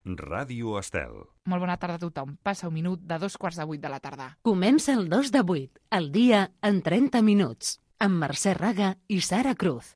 Ràdio Estel. Molt bona tarda a tothom. Passa un minut de 7:45 de la tarda. Comença el 2 de 8, el dia en 30 minuts, amb Mercè Raga i Sara Cruz.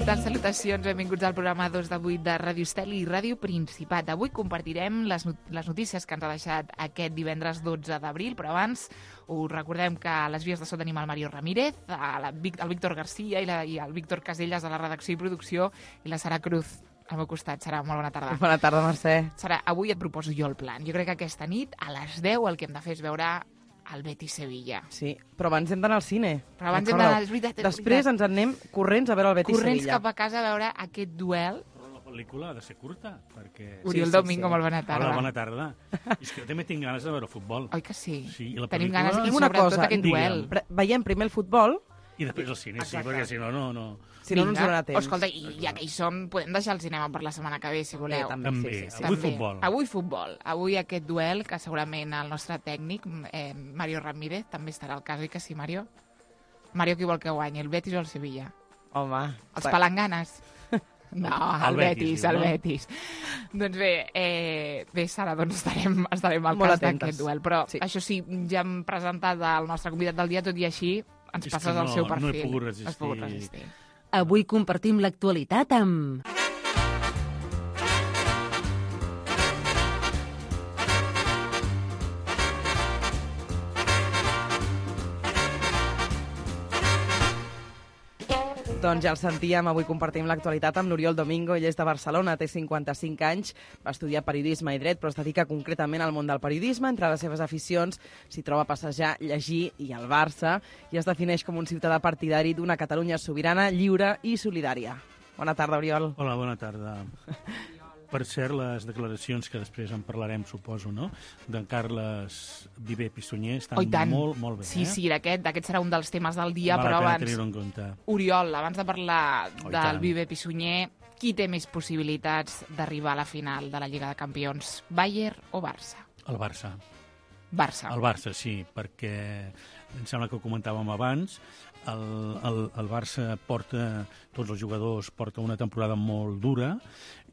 Salutacions, benvinguts al programa 2 de 8 de Ràdio Estel i Ràdio Principat. Avui compartirem les notícies que ens ha deixat aquest divendres 12 d'abril, però abans us recordem que a les vies de so tenim el Mario Ramírez, el Víctor Garcia i el Víctor Casellas de la redacció i producció i la Sara Cruz al meu costat. Sara, molt bona tarda. Bona tarda, Mercè. Sara, avui et proposo jo el plan. Jo crec que aquesta nit, a les 10, el que hem de fer és veure el Betis-Sevilla. Sí, però abans hem d'anar al cine. Però abans hem d'anar, és veritat. Després ens en anem corrents a veure el Betis-Sevilla. Corrents cap a casa a veure aquest duel. Però la pel·lícula ha de ser curta, perquè... Oriol Domingo, molt bona tarda. Hola, bona tarda. És que jo també tinc ganes de veure futbol. Oi que sí? Sí, i la Tenim pel·lícula... ganes, i una sobretot cosa, aquest duel. Veiem primer el futbol... I després el cine, sí, perquè si no, no... Si no, no ens donarà temps. Escolta, i ja que hi som, podem deixar el cinema per la setmana que ve, si voleu. També. Sí. Avui futbol. Avui futbol. Avui aquest duel, que segurament el nostre tècnic, Mario Ramírez, també estarà al cas, oi que sí, Mario? Mario, qui vol que guanyi, el Betis o el Sevilla? Home... Els palanganes? No, el Betis, el Betis. Doncs bé, Sara, doncs estarem al cas d'aquest duel. Però això sí, ja hem presentat el nostre convidat del dia, tot i així ens passes el seu perfil. No he pogut resistir. Avui compartim l'actualitat amb... Doncs ja el sentíem, avui compartim l'actualitat amb l'Oriol Domingo. Ell és de Barcelona, té 55 anys, va estudiar periodisme i dret, però es dedica concretament al món del periodisme. Entre les seves aficions s'hi troba passejar, llegir i el Barça, i es defineix com un ciutadà partidari d'una Catalunya sobirana, lliure i solidària. Bona tarda, Oriol. Hola, bona tarda. Per cert, les declaracions que després en parlarem, suposo, no?, d'en Carles Viver Pissunyer estan molt, molt bé. Sí, aquest serà un dels temes del dia, però abans... tenir-ho en compte. Oriol, abans de parlar del Viver Pissunyer, qui té més possibilitats d'arribar a la final de la Lliga de Campions, Bayern o Barça? El Barça. Barça. El Barça, sí, perquè em sembla que ho comentàvem abans, el Barça porta, tots els jugadors porta una temporada molt dura,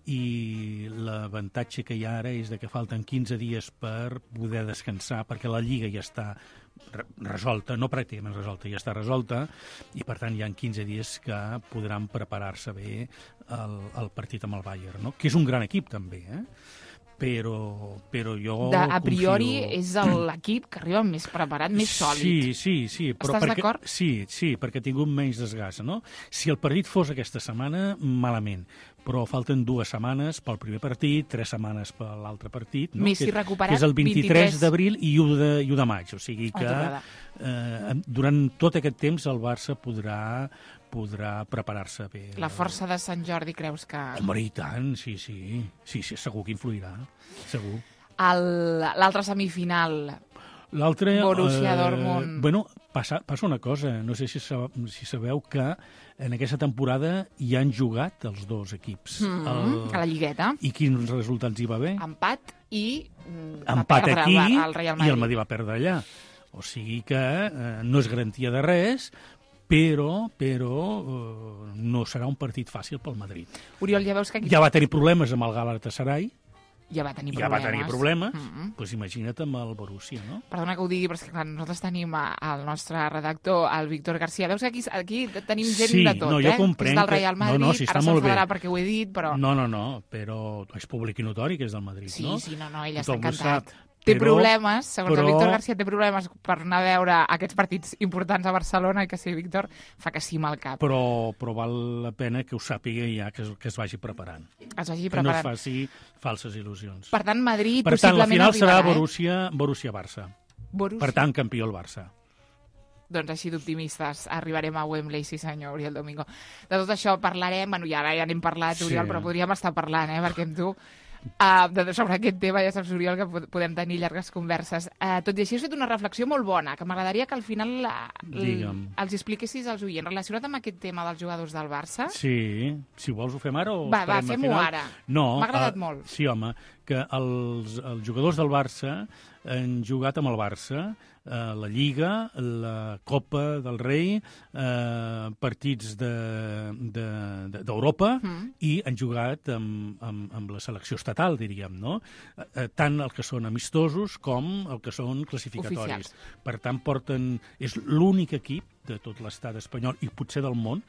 i l'avantatge que hi ha ara és que falten 15 dies per poder descansar, perquè la Lliga ja està resolta, no pràcticament resolta, ja està resolta, i per tant hi ha 15 dies que podran preparar-se bé el partit amb el Bayern, no? Que és un gran equip també, però jo a priori és l'equip que arriba més preparat, més sòlid. Sí. Però estàs d'acord? Sí, perquè ha tingut menys desgast, no? Si el partit fos aquesta setmana, malament, però falten 2 setmanes pel primer partit, 3 setmanes per l'altre partit, no? Messi recuperat, que és el 23 d'abril i 1 de maig, o sigui que durant tot aquest temps el Barça podrà preparar-se bé. La força de Sant Jordi, creus que... Home, i tant, sí, segur que influirà, segur. L'altre semifinal, l'altre, Borussia Dortmund... Bueno, passa una cosa, no sé si sabeu que en aquesta temporada hi han jugat els dos equips. A la Lligueta. I quins resultats hi va haver? Empat i empat aquí el Real Madrid. I el Madrid va perdre allà. O sigui que no és garantia de res, però no serà un partit fàcil pel Madrid. Oriol, ja veus que aquí... Ja va tenir problemes amb el Galatasaray. Ja va tenir problemes, doncs imagina't amb el Borussia, no? Perdona que ho digui, però és que clar, nosaltres tenim el nostre redactor, el Víctor Garcia. Veus que aquí tenim gent de tot, jo comprenc, que és del Real Madrid, sí, ara s'enfadarà perquè ho he dit, però... No, però és públic i notori que és del Madrid, no? Sí, ell està encantat. Té problemes, segons el Víctor Garcia, té problemes per anar a veure aquests partits importants a Barcelona, i que sí, Víctor, fa que sí amb el cap. Però val la pena que ho sàpiga ja, que es vagi preparant. Que no es faci falses il·lusions. Per tant, Madrid per tant, possiblement la final arribarà, serà Borussia-Barça. Per tant, campió el Barça. Doncs així d'optimistes arribarem a Wembley, sí senyor, Oriol Domingo. De tot això parlarem, ja n'hem parlat, Oriol, però podríem estar parlant, perquè amb tu Sobre aquest tema ja saps, Oriol, que podem tenir llargues converses. Tot i així has fet una reflexió molt bona, que m'agradaria que al final els expliquessis als oients. Relacionat amb aquest tema dels jugadors del Barça? Sí, si vols ho fem ara o Va, fem-ho ara. No, m'ha agradat molt. Sí, home, que els jugadors del Barça han jugat amb el Barça la Lliga, la Copa del Rei, partits d'Europa i han jugat amb la selecció estatal, diríem, no? Tant el que són amistosos com el que són classificatoris. Oficials. Per tant, és l'únic equip de tot l'estat espanyol i potser del món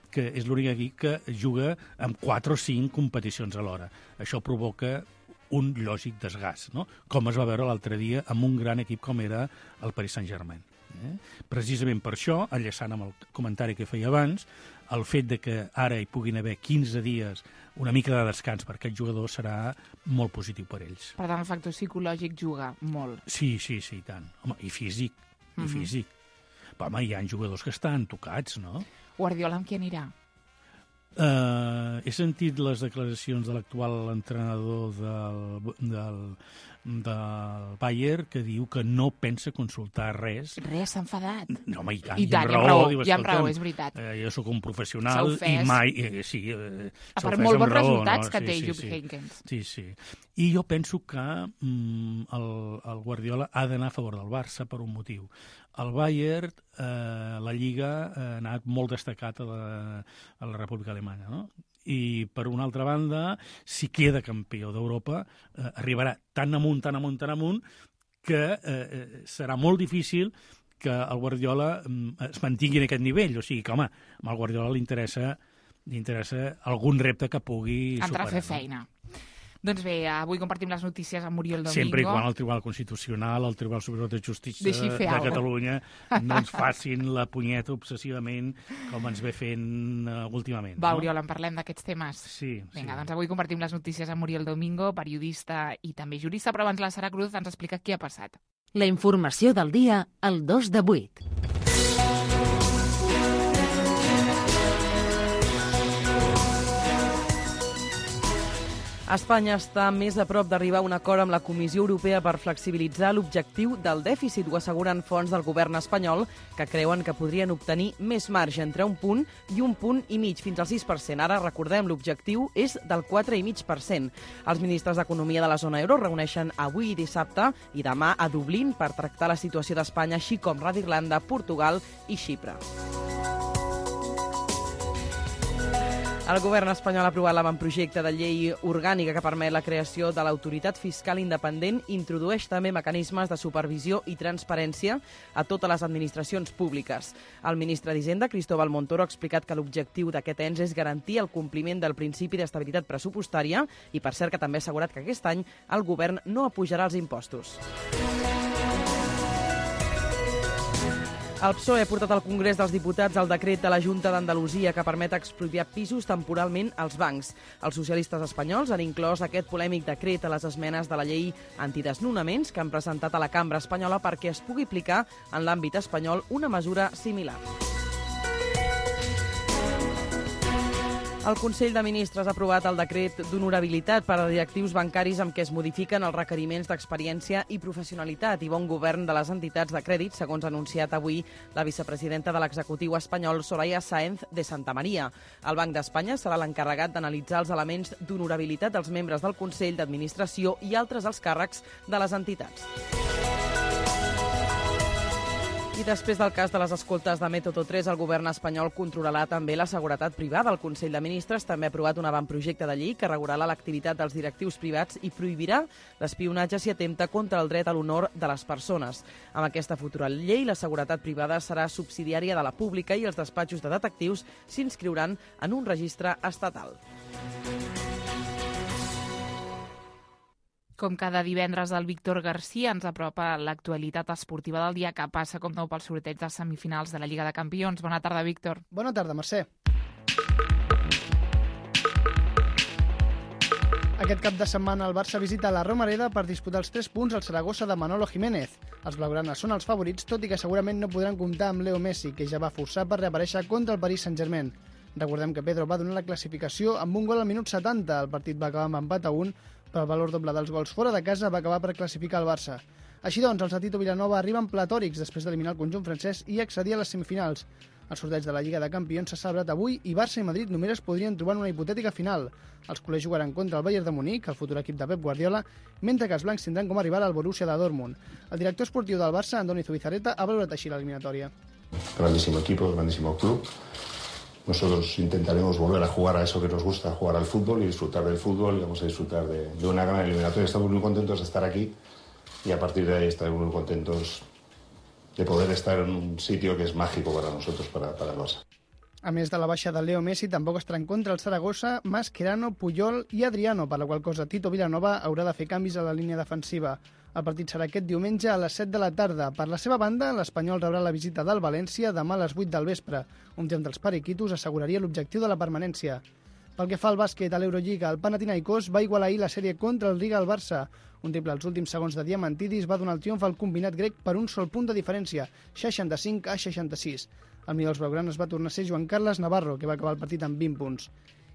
que és l'únic equip que juga amb 4 o 5 competicions alhora. Això provoca un lògic desgast, no? Com es va veure l'altre dia amb un gran equip com era el Paris Saint-Germain. Precisament per això, enllaçant amb el comentari que feia abans, el fet de que ara hi puguin haver 15 dies, una mica de descans per aquest jugador serà molt positiu per ells. Per tant, el factor psicològic juga molt. Sí, i tant. Home, i físic, físic. Però, home, hi ha jugadors que estan tocats, no? Guardiola amb qui anirà? He sentit les declaracions de l'actual entrenador del Bayern que diu que no pensa consultar res. Res, s'ha enfadat. No, home, i tant, hi ha raó, és veritat. Jo sóc un professional i mai... Sí, a part, molt bons resultats que té Jupp Heynckes. Sí. I jo penso que el Guardiola ha d'anar a favor del Barça per un motiu. El Bayern, la Lliga, ha anat molt destacat a la República Alemanya, no? I, per una altra banda, si queda campió d'Europa, arribarà tan amunt, que serà molt difícil que el Guardiola es mantingui en aquest nivell. O sigui que, home, al Guardiola li interessa algun repte que pugui superar. Entrar a fer feina. Doncs bé, avui compartim les notícies amb Oriol Domingo. Sempre i quan el Tribunal Constitucional, el Tribunal Superior de Justícia de Catalunya no ens facin la punyeta obsessivament com ens ve fent últimament. Va, Oriol, en parlem d'aquests temes. Sí. Vinga, doncs avui compartim les notícies amb Oriol Domingo, periodista i també jurista, però abans la Sara Cruz ens explica què ha passat. La informació del dia al 2 de 8. Espanya està més a prop d'arribar a un acord amb la Comissió Europea per flexibilitzar l'objectiu del dèficit, ho asseguren fonts del govern espanyol, que creuen que podrien obtenir més marge entre 1 punt i 1,5 punts fins al 6%. Ara, recordem, l'objectiu és del 4,5%. Els ministres d'Economia de la zona euro reuneixen avui i dissabte i demà a Dublín per tractar la situació d'Espanya, així com la d'Irlanda, Portugal i Xipre. El govern espanyol ha aprovat l'avantprojecte de llei orgànica que permet la creació de l'autoritat fiscal independent i introdueix també mecanismes de supervisió i transparència a totes les administracions públiques. El ministre d'Hisenda, Cristóbal Montoro, ha explicat que l'objectiu d'aquest ens és garantir el compliment del principi d'estabilitat pressupostària i, per cert, que també ha assegurat que aquest any el govern no apujarà els impostos. El PSOE ha portat al Congrés dels Diputats el decret de la Junta d'Andalusia que permet expropiar pisos temporalment als bancs. Els socialistes espanyols han inclòs aquest polèmic decret a les esmenes de la llei antidesnonaments que han presentat a la Cambra espanyola perquè es pugui aplicar en l'àmbit espanyol una mesura similar. El Consell de Ministres ha aprovat el decret d'honorabilitat per a directius bancaris amb què es modifiquen els requeriments d'experiència i professionalitat i bon govern de les entitats de crèdit, segons ha anunciat avui la vicepresidenta de l'executiu espanyol, Soraya Sáenz de Santamaría. El Banc d'Espanya serà l'encarregat d'analitzar els elements d'honorabilitat dels membres del Consell d'Administració i altres alts càrrecs de les entitats. I després del cas de les escoltes de Método 3, el govern espanyol controlarà també la seguretat privada. El Consell de Ministres també ha aprovat un avantprojecte de llei que regularà l'activitat dels directius privats i prohibirà l'espionatge si atempta contra el dret a l'honor de les persones. Amb aquesta futura llei, la seguretat privada serà subsidiària de la pública i els despatxos de detectius s'inscriuran en un registre estatal. Com cada divendres, el Víctor García ens apropa l'actualitat esportiva del dia que passa com nou pel sorteig de semifinals de la Lliga de Campions. Bona tarda, Víctor. Bona tarda, Mercè. Aquest cap de setmana el Barça visita la Romareda per disputar els 3 punts al Saragossa de Manolo Jiménez. Els blaugranes són els favorits, tot i que segurament no podran comptar amb Leo Messi, que ja va forçar per reaparèixer contra el Paris Saint-Germain. Recordem que Pedro va donar la classificació amb un gol al minut 70. El partit va acabar amb empat a 1, però el valor doble dels gols fora de casa va acabar per classificar el Barça. Així doncs, els de Tito Vilanova arriben platòrics després d'eliminar el conjunt francès i accedir a les semifinals. El sorteig de la Lliga de Campions s'ha celebrat avui i Barça i Madrid només es podrien trobar en una hipotètica final. Els culers jugaran contra el Bayern de Munic, el futur equip de Pep Guardiola, mentre que els blancs tindran com a rival el Borussia de Dortmund. El director esportiu del Barça, Andoni Zubizarreta, ha valorat així l'eliminatòria. Grandísimo equipo, grandísimo club. Nosotros intentaremos volver a jugar a eso que nos gusta, jugar al fútbol y disfrutar del fútbol, y vamos a disfrutar de una gran eliminatoria. Estamos muy contentos de estar aquí y a partir de ahí estaremos muy contentos de poder estar en un sitio que es mágico para nosotros, para el Barça. A més de la baixa de Leo Messi, tampoc estarà en contra el Saragossa, Mascherano, Puyol i Adriano, per la qual cosa Tito Vilanova haurà de fer canvis a la línia defensiva. El partit serà aquest diumenge a les 7 de la tarda. Per la seva banda, l'Espanyol rebrà la visita del València demà a les 8 del vespre. Un triomf dels periquitos asseguraria l'objectiu de la permanència. Pel que fa al bàsquet a l'Eurolliga, el Panathinaikos va igualar ahir la sèrie contra el Riga al Barça. Un triple als últims segons de Diamantidis va donar el triomf al combinat grec per un sol punt de diferència, 65-66. El millor dels blaugranes va tornar a ser Joan Carles Navarro, que va acabar el partit amb 20 punts.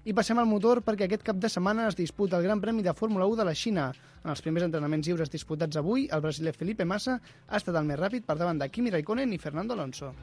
I passem al motor perquè aquest cap de setmana es disputa el Gran Premi de Fórmula 1 de la Xina. En els primers entrenaments lliures disputats avui, el brasiler Felipe Massa ha estat el més ràpid per davant de Kimi Raikkonen i Fernando Alonso.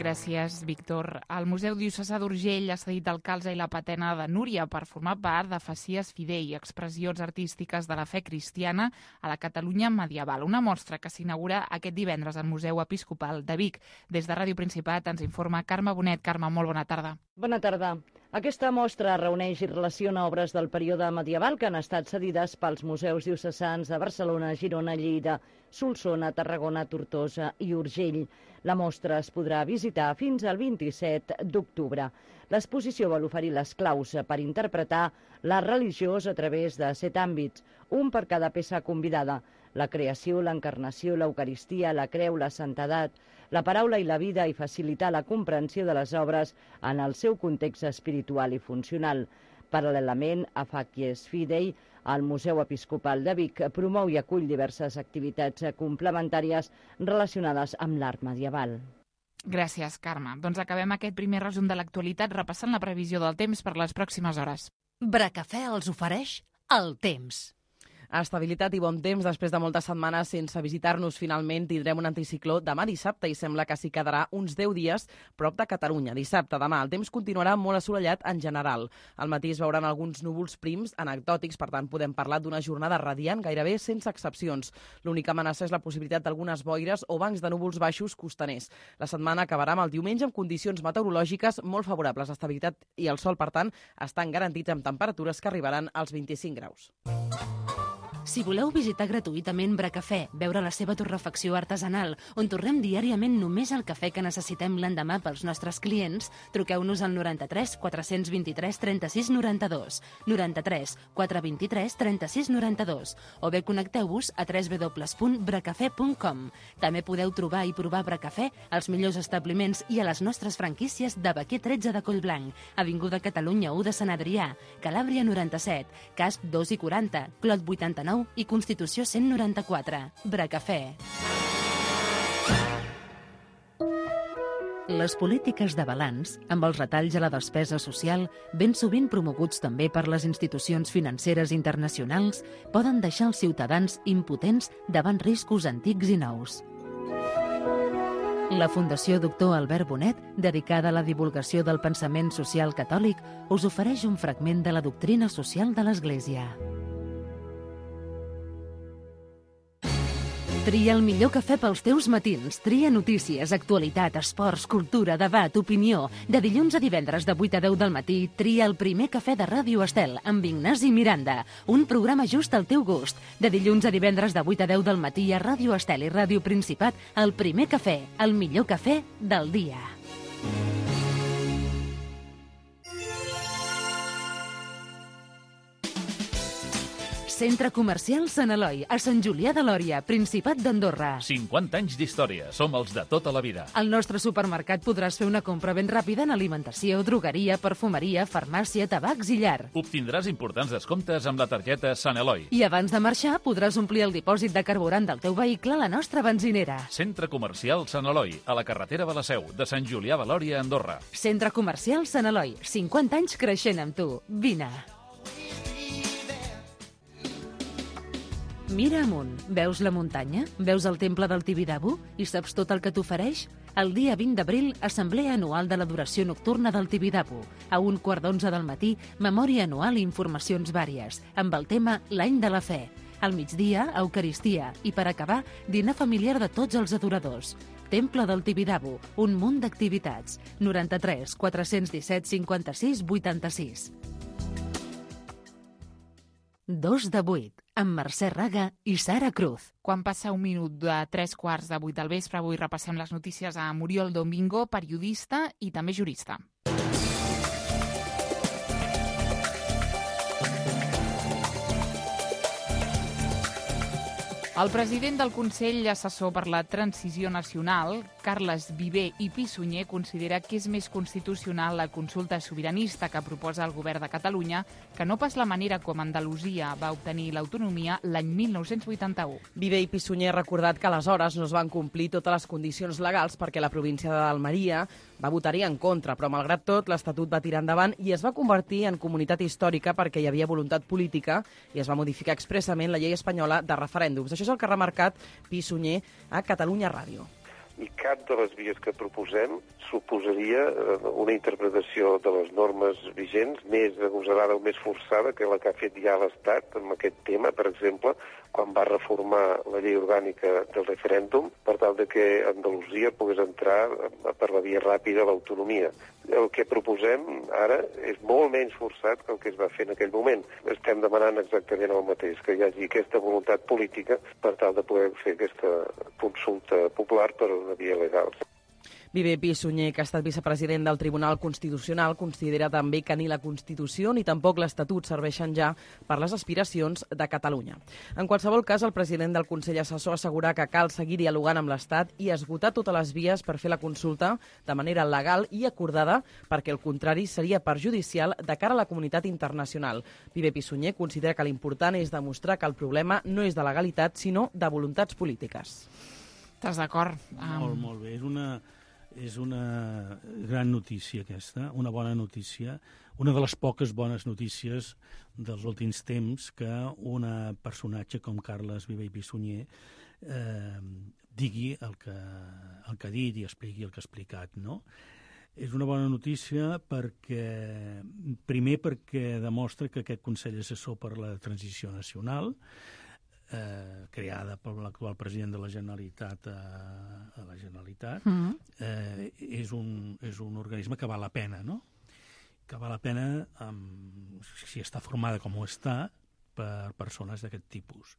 Gràcies, Víctor. El Museu Diocesà d'Urgell ha cedit el calze i la patena de Núria per formar part de Facies Fidei, expressions artístiques de la fe cristiana a la Catalunya medieval. Una mostra que s'inaugura aquest divendres al Museu Episcopal de Vic. Des de Ràdio Principat ens informa Carme Bonet. Carme, molt bona tarda. Bona tarda. Aquesta mostra reuneix i relaciona obres del període medieval que han estat cedides pels museus diocesans de Barcelona, Girona, Lleida, Solsona, Tarragona, Tortosa i Urgell. La mostra es podrà visitar fins al 27 d'octubre. L'exposició vol oferir les claus per interpretar la religió a través de 7 àmbits, un per cada peça convidada: la creació, l'encarnació, l'eucaristia, la creu, la santedat, la paraula i la vida, i facilitar la comprensió de les obres en el seu context espiritual i funcional. Paral·lelament a Facies Fidei, el Museu Episcopal de Vic promou i acull diverses activitats complementàries relacionades amb l'art medieval. Gràcies, Carme. Doncs acabem aquest primer resum de l'actualitat repassant la previsió del temps per les pròximes hores. Bracafè els ofereix el temps. Estabilitat i bon temps després de moltes setmanes sense visitar-nos. Finalment tindrem un anticicló demà dissabte i sembla que s'hi quedarà uns 10 dies prop de Catalunya. Dissabte, demà, el temps continuarà molt assolellat en general. Al matí es veuran alguns núvols prims anecdòtics, per tant podem parlar d'una jornada radiant gairebé sense excepcions. L'única amenaça és la possibilitat d'algunes boires o bancs de núvols baixos costaners. La setmana acabarà amb el diumenge amb condicions meteorològiques molt favorables. L'estabilitat i el sol, per tant, estan garantits amb temperatures que arribaran als 25 graus. Si voleu visitar gratuïtament Bracafè, veure la seva torrefacció artesanal, on torrem diàriament només el cafè que necessitem l'endemà pels nostres clients, truqueu-nos al 93 423 36 92, 93 423 36 92, o bé connecteu-vos a www.bracafè.com. També podeu trobar i provar Bracafè als millors establiments i a les nostres franquícies de Baquer 13 de Collblanc, Avinguda Catalunya 1 de Sant Adrià, Calàbria 97, Casp 2 i 40, Clot 89 i Constitució 194. Bracafè. Les polítiques de balanç, amb els retalls a la despesa social, ben sovint promoguts també per les institucions financeres internacionals, poden deixar els ciutadans impotents davant riscos antics i nous. La Fundació Doctor Albert Bonet, dedicada a la divulgació del pensament social catòlic, us ofereix un fragment de la doctrina social de l'Església. Tria el millor cafè pels teus matins. Tria notícies, actualitat, esports, cultura, debat, opinió. De dilluns a divendres de 8 a 10 del matí, tria el primer cafè de Ràdio Estel amb Ignasi Miranda. Un programa just al teu gust. De dilluns a divendres de 8 a 10 del matí a Ràdio Estel i Ràdio Principat, el primer cafè, el millor cafè del dia. Centre Comercial Sant Eloi, a Sant Julià de Lòria, Principat d'Andorra. 50 anys d'història. Som els de tota la vida. Al nostre supermercat podràs fer una compra ben ràpida en alimentació, drogueria, perfumeria, farmàcia, tabacs i llar. Obtindràs importants descomptes amb la targeta Sant Eloi. I abans de marxar podràs omplir el dipòsit de carburant del teu vehicle a la nostra benzinera. Centre Comercial Sant Eloi, a la carretera de la Seu, de Sant Julià de Lòria, Andorra. Centre Comercial Sant Eloi, 50 anys creixent amb tu. Vine. Mira amunt. Veus la muntanya? Veus el temple del Tibidabo? I saps tot el que t'ofereix? El dia 20 d'abril, assemblea anual de l'adoració nocturna del Tibidabo. A 11:15 del matí, memòria anual i informacions vàries, amb el tema L'any de la fe. Al migdia, Eucaristia. I per acabar, dinar familiar de tots els adoradors. Temple del Tibidabo, un munt d'activitats. 93 417 56 86. 2 de 8, amb Mercè Raga i Sara Cruz. Quan passa un minut de 3:15 del vespre, avui repassem les notícies amb Oriol Domingo, periodista i també jurista. El president del Consell Assessor per la Transició Nacional, Carles Viver i Pissunyer, considera que és més constitucional la consulta sobiranista que proposa el govern de Catalunya que no pas la manera com Andalusia va obtenir l'autonomia l'any 1981. Viver i Pissunyer ha recordat que aleshores no es van complir totes les condicions legals perquè la província d'Almeria va votar-hi en contra, però malgrat tot l'Estatut va tirar endavant i es va convertir en comunitat històrica perquè hi havia voluntat política i es va modificar expressament la llei espanyola de referèndums. Això és el que ha remarcat Pissunyer a Catalunya Ràdio. I cap de les vies que proposem suposaria una interpretació de les normes vigents més agosarada o més forçada que la que ha fet ja l'Estat en aquest tema, per exemple, quan va reformar la llei orgànica del referèndum per tal de que Andalusia pogués entrar per la via ràpida a l'autonomia. El que proposem ara és molt menys forçat que el que es va fer en aquell moment. Estem demanant exactament el mateix, que hi hagi aquesta voluntat política per tal de poder fer aquesta consulta popular per una via legal. Viver Pissunyer, que ha estat vicepresident del Tribunal Constitucional, considera també que ni la Constitució ni tampoc l'Estatut serveixen ja per les aspiracions de Catalunya. En qualsevol cas, el president del Consell Assessor assegura que cal seguir dialogant amb l'Estat i esgotar totes les vies per fer la consulta de manera legal i acordada, perquè el contrari seria perjudicial de cara a la comunitat internacional. Viver Pissunyer considera que l'important és demostrar que el problema no és de legalitat, sinó de voluntats polítiques. Estàs d'acord? Molt bé. És una gran notícia aquesta, una bona notícia, una de les poques bones notícies dels últims temps que un personatge com Carles Viver i Pissunyer digui el que ha dit i expliqui el que ha explicat, no? És una bona notícia primer perquè demostra que aquest Consell Assessor per la Transició Nacional, creada per l'actual president de la Generalitat a la Generalitat, és un organisme que val la pena, no? Que val la pena si està formada com ho està per persones d'aquest tipus.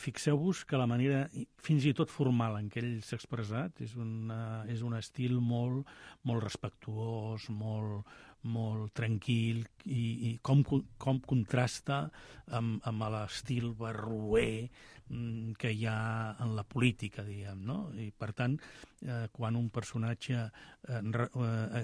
Fixeu-vos que la manera, fins i tot formal en què ell s'ha expressat, és un estil molt respectuós, molt tranquil i com contrasta amb l'estil barroer que hi ha en la política, diguem, no? I per tant, quan un personatge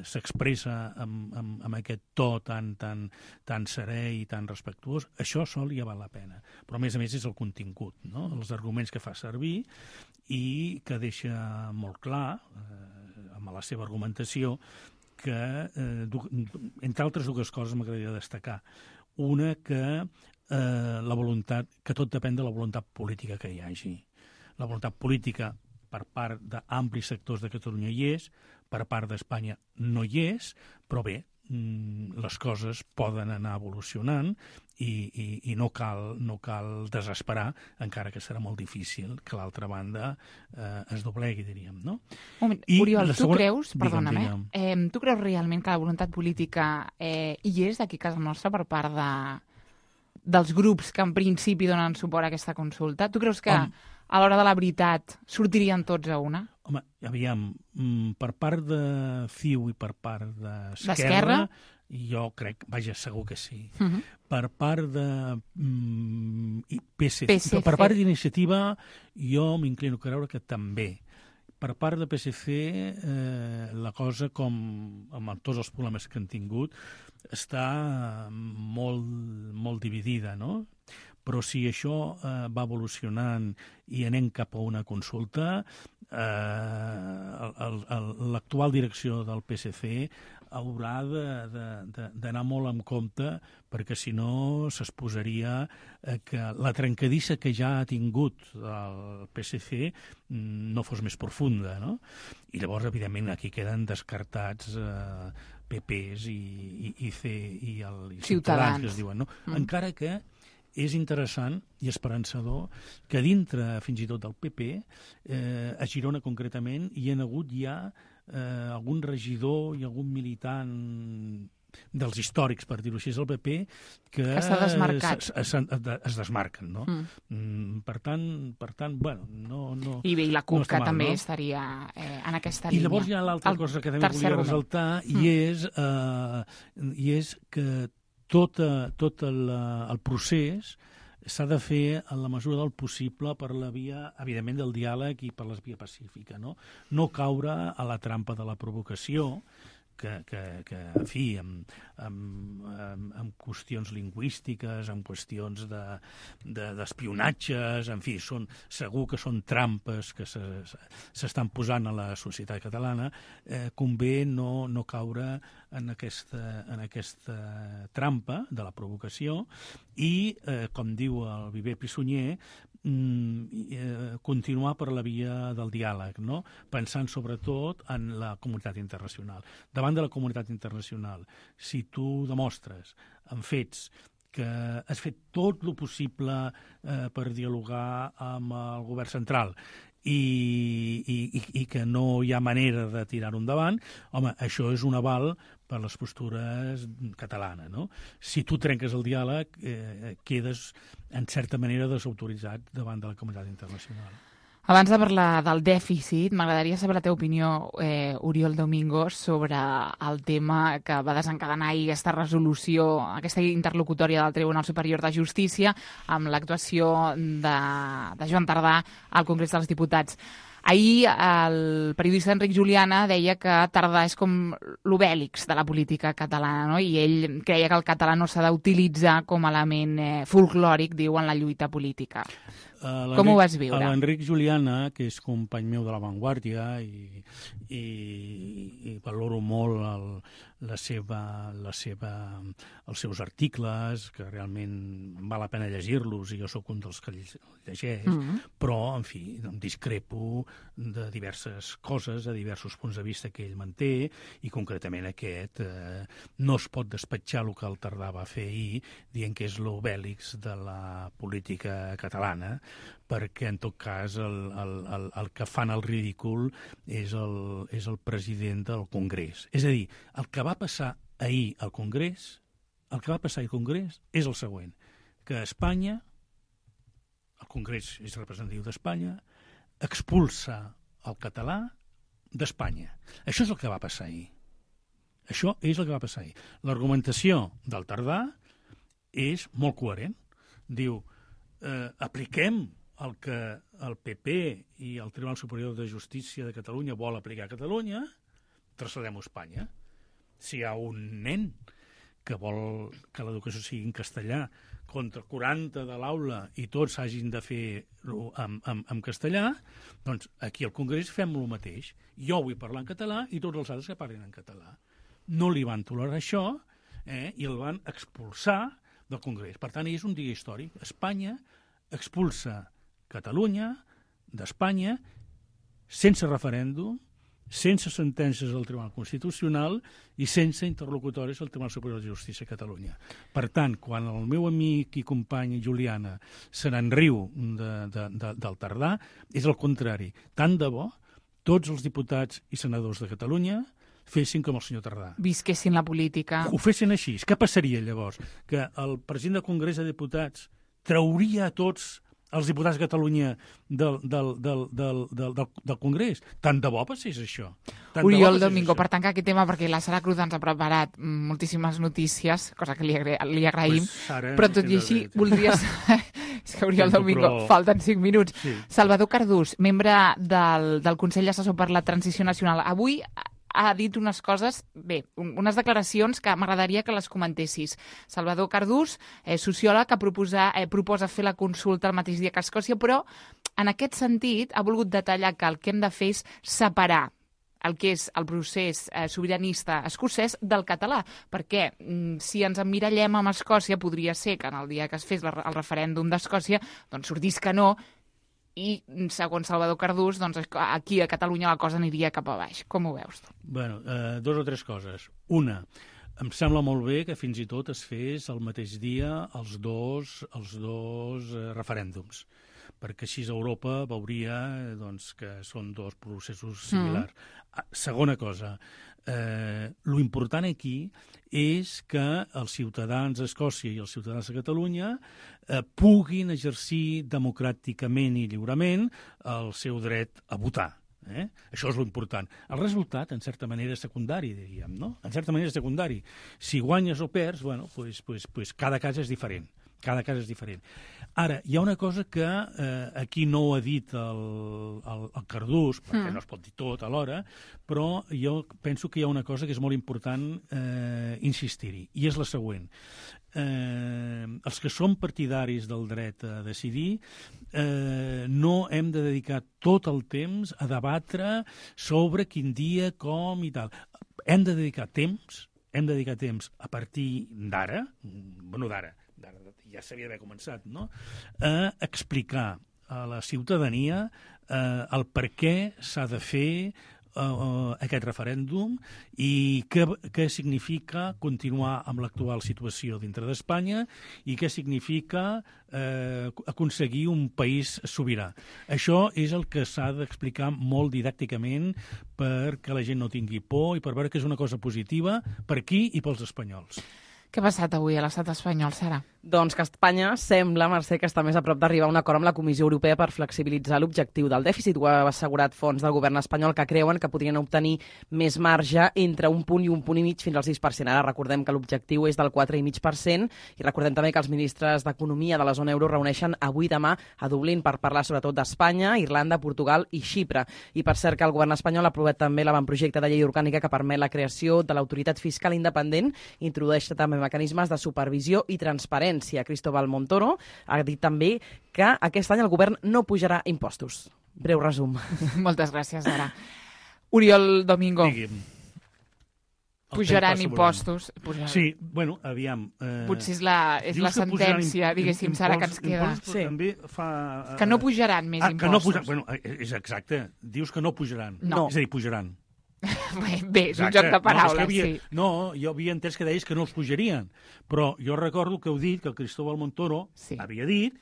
s'expressa amb aquest to tan serè i tan respectuós, això sol ja val la pena. Però a més és el contingut, no? Els arguments que fa servir i que deixa molt clar, amb la seva argumentació, que, entre altres dues coses, m'agradaria destacar. Una, que tot depèn de la voluntat política que hi hagi. La voluntat política per part d'amplis sectors de Catalunya hi és, per part d'Espanya no hi és, però bé, les coses poden anar evolucionant i no cal desesperar, encara que serà molt difícil que l'altra banda es doblegui, diríem, no? Oriol, tu creus, perdona'm, tu creus realment que la voluntat política hi és d'aquí a casa nostra per part dels grups que en principi donen suport a aquesta consulta? Tu creus que a l'hora de la veritat sortirien tots a una? Home, aviam, per part de CiU i per part d'Esquerra Jo crec, vaja, segur que sí. Per part de PSC. Per part d'Iniciativa, jo m'inclino a creure que també. Per part de PSC, la cosa, com amb tots els problemes que han tingut, està molt dividida, no? Però si això va evolucionant i anem cap a una consulta, l'actual direcció del PSC haurà d'anar molt en compte, perquè si no s'exposaria que la trencadissa que ja ha tingut el PSC no fos més profunda, no? I llavors, evidentment, aquí queden descartats PPs i Ciutadans, que es diuen, no? Encara que és interessant i esperançador que dintre, fins i tot del PP, a Girona concretament, hi ha hagut ja algun regidor i algun militant dels històrics, per dir-ho així, del PP, que s'ha desmarcat. Es desmarquen, no? Per tant, bueno, no... I bé, i la CUP, que també estaria en aquesta línia. I llavors hi ha l'altra cosa que també volia ressaltar, i és que tot el procés s'ha de fer en la mesura del possible per la via, evidentment, del diàleg i per la via pacífica, no? No caure a la trampa de la provocació, que en fi, amb qüestions lingüístiques, amb qüestions d'espionatges, en fi, segur que són trampes que s'estan posant a la societat catalana, convé no caure en aquesta trampa de la provocació i, com diu el Viver Pissunyer, continuar per la via del diàleg, no? Pensant sobretot en la comunitat internacional. Davant de la comunitat internacional, si tu demostres amb fets que has fet tot el possible per dialogar amb el govern central i que no hi ha manera de tirar-ho endavant, home, això és un aval per les postures catalanes, no? Si tu trenques el diàleg, quedes, en certa manera, desautoritzat davant de la comunitat internacional. Abans de parlar del dèficit, m'agradaria saber la teva opinió, Oriol Domingos, sobre el tema que va desencadenar ahir aquesta resolució, aquesta interlocutòria del Tribunal Superior de Justícia amb l'actuació de Joan Tardà al Congrés dels Diputats. Ahir el periodista Enric Juliana deia que Tardà és com l'Obèlix de la política catalana, no? I ell creia que el català no s'ha d'utilitzar com a element folclòric, diu, en la lluita política. Com ho vas viure? L'Enric Juliana, que és company meu de La Vanguardia i valoro molt els seus articles, que realment val la pena llegir-los, i jo sóc un dels que llegeix, però, en fi, discrepo de diverses coses, de diversos punts de vista que ell manté, i concretament aquest no es pot despatxar el que el Tardà va fer ahir, dient que és l'Obèlix de la política catalana, perquè, en tot cas, el que fan el ridícul és el president del Congrés. És a dir, el que va passar ahir al Congrés, és el següent, que Espanya, el Congrés és representatiu d'Espanya, expulsa el català d'Espanya. Això és el que va passar ahir. L'argumentació del Tardà és molt coherent. Diu, apliquem el que el PP i el Tribunal Superior de Justícia de Catalunya vol aplicar a Catalunya, traslladem-ho a Espanya. Si hi ha un nen que vol que l'educació sigui en castellà contra 40 de l'aula i tots hagin de fer-ho en castellà, doncs aquí al Congrés fem el mateix. Jo vull parlar en català i tots els altres que parlin en català. No li van tolerar això i el van expulsar del Congrés. Per tant, és un dia històric. Espanya expulsa Catalunya d'Espanya sense referèndum, sense sentències del Tribunal Constitucional i sense interlocutoris del Tribunal Superior de Justícia de Catalunya. Per tant, quan el meu amic i company Juliana se n'enriu del Tardà, és el contrari. Tant de bo tots els diputats i senadors de Catalunya fessin com el senyor Tardà. Visquessin la política. Ho fessin així. Què passaria llavors? Que el president del Congrés de Diputats trauria a tots els diputats de Catalunya del Congrés. Tant de bo passés això. Oriol Domingo, per tancar aquest tema, perquè la Sara Cruz ens ha preparat moltíssimes notícies, cosa que li agraïm, però tot i així voldria saber... És que Oriol Domingo, falten 5 minuts. Sí. Salvador Cardús, membre del Consell Assessor per la Transició Nacional, avui ha dit unes coses, unes declaracions que m'agradaria que les comentessis. Salvador Cardús, sociòleg, que proposa fer la consulta el mateix dia que Escòcia, però en aquest sentit ha volgut detallar que el que hem de fer és separar el que és el procés sobiranista escocès del català, perquè si ens emmirallem amb Escòcia podria ser que en el dia que es fes el referèndum d'Escòcia doncs sortís que no, i segons Salvador Cardús doncs aquí a Catalunya la cosa aniria cap a baix. Com ho veus? Bueno, 2 o 3 coses. Una, em sembla molt bé que fins i tot es fes el mateix dia els dos referèndums, perquè així Europa veuria doncs, que són 2 processos similars. Segona cosa, lo important aquí és que els ciutadans d'Escòcia i els ciutadans de Catalunya puguin exercir democràticament i lliurement el seu dret a votar. Això és l'important. El resultat, en certa manera, és secundari, diríem, no? En certa manera és secundari. Si guanyes o perds, bueno, pues cada cas és diferent. Cada cas és diferent. Ara, hi ha una cosa que aquí no ho ha dit el Cardús, perquè no es pot dir tot alhora, però jo penso que hi ha una cosa que és molt important insistir-hi, i és la següent. Els que som partidaris del dret a decidir no hem de dedicar tot el temps a debatre sobre quin dia, com i tal. Hem de dedicar temps a partir d'ara, ja s'havia d'haver començat, no?, a explicar a la ciutadania el per què s'ha de fer aquest referèndum i què significa continuar amb l'actual situació dintre d'Espanya i què significa aconseguir un país sobirà. Això és el que s'ha d'explicar molt didàcticament perquè la gent no tingui por i per veure que és una cosa positiva per aquí i pels espanyols. Què ha passat avui a l'estat espanyol, Sara? Doncs que Espanya sembla, Mercè, que està més a prop d'arribar a un acord amb la Comissió Europea per flexibilitzar l'objectiu del dèficit. Ho ha assegurat fons del govern espanyol que creuen que podrien obtenir més marge entre 1 punt i 1,5 punt fins al 6%. Ara recordem que l'objectiu és del 4,5% i recordem també que els ministres d'Economia de la zona euro reuneixen avui i demà a Dublín per parlar sobretot d'Espanya, Irlanda, Portugal i Xipre. I per cert que el govern espanyol ha aprovat també l'avantprojecte de llei orgànica que permet la creació de l'autoritat fiscal independent, introdueix també mecanismes de supervisió i transparència. Cristóbal Montoro ha dit també que aquest any el govern no pujarà impostos. Breu resum. Moltes gràcies, Sara. Oriol Domingo. Digui'm. Pujaran impostos. Sí, bueno, aviam... Potser és la sentència, diguéssim, Sara, que ens queda. Sí. També fa... Que no pujaran més impostos. Que no pujaran, bueno, és exacte. Dius que no pujaran. No. És a dir, pujaran. Bé, és un joc de paraules, sí. No, jo havia entès que deies que no els pujarien, però jo recordo que heu dit que el Cristóbal Montoro havia dit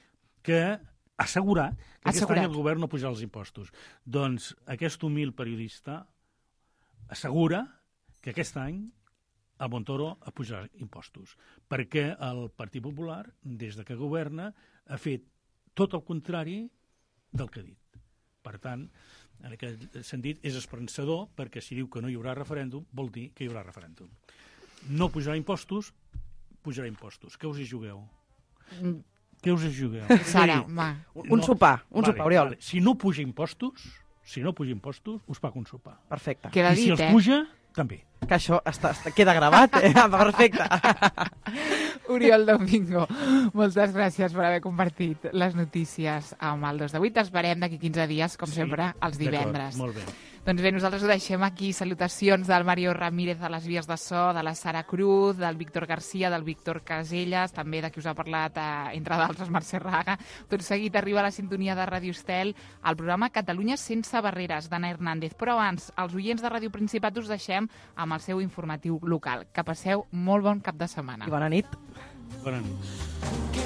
que ha assegurat que aquest any el govern no pujarà els impostos. Doncs aquest humil periodista assegura que aquest any el Montoro ha pujat impostos, perquè el Partit Popular, des de que governa, ha fet tot el contrari del que ha dit. Per tant, en aquest sentit, és esperançador, perquè si diu que no hi haurà referèndum, vol dir que hi haurà referèndum. No pujarà impostos, pujarà impostos. Què us hi jugueu? Què us hi jugueu? Sara, va. Un sopar, Oriol. Vale. Si no puja impostos, us paga un sopar. Perfecte. Queda dit, si els puja, també. Que això queda gravat, Perfecte. Oriol Domingo, moltes gràcies per haver compartit les notícies amb el 2 de 8. Esperem d'aquí 15 dies, com sempre, els divendres. Molt bé. Doncs bé, nosaltres ho deixem aquí. Salutacions del Mario Ramírez a les vies de so, de la Sara Cruz, del Víctor Garcia, del Víctor Casellas, també de qui us ha parlat, entre d'altres, Mercè Raga. Tot seguit arriba a la sintonia de Ràdio Estel el programa Catalunya sense barreres, d'Anna Hernández. Però abans, els oients de Ràdio Principat us deixem amb el seu informatiu local. Que passeu molt bon cap de setmana. I bona nit. Bona nit.